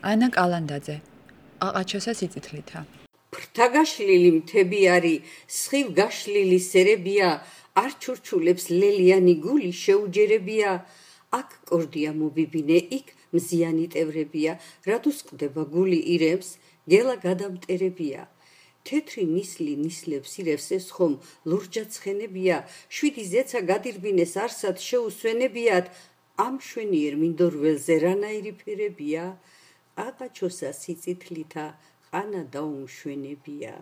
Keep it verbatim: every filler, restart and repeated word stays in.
ანა კალანდაძე, ყაყაჩოსა სიწითლითა. ფრთაგაშლილი მთები არი, სხივ გაშლილი სერებია, არ ჩურჩულებს ლელიანი გული შეუჯერებია, აქ კორდია მობიბინე, იქ მზიანი ტევრებია, რადუს ყდება გული ირემს, გელა გადამტერებია. თეთრი ნისლი ნისლებს ირევს ეს ხომ ლურჯად ცხენებია, შვიდი ზეცა გადირბინეს არსად შეუსვენებიათ, ამ შვენიერ მინდორველზე რანაირი ფერებია, ყაყაჩოსა სიწითლითა ყანა დაუმშვენებია.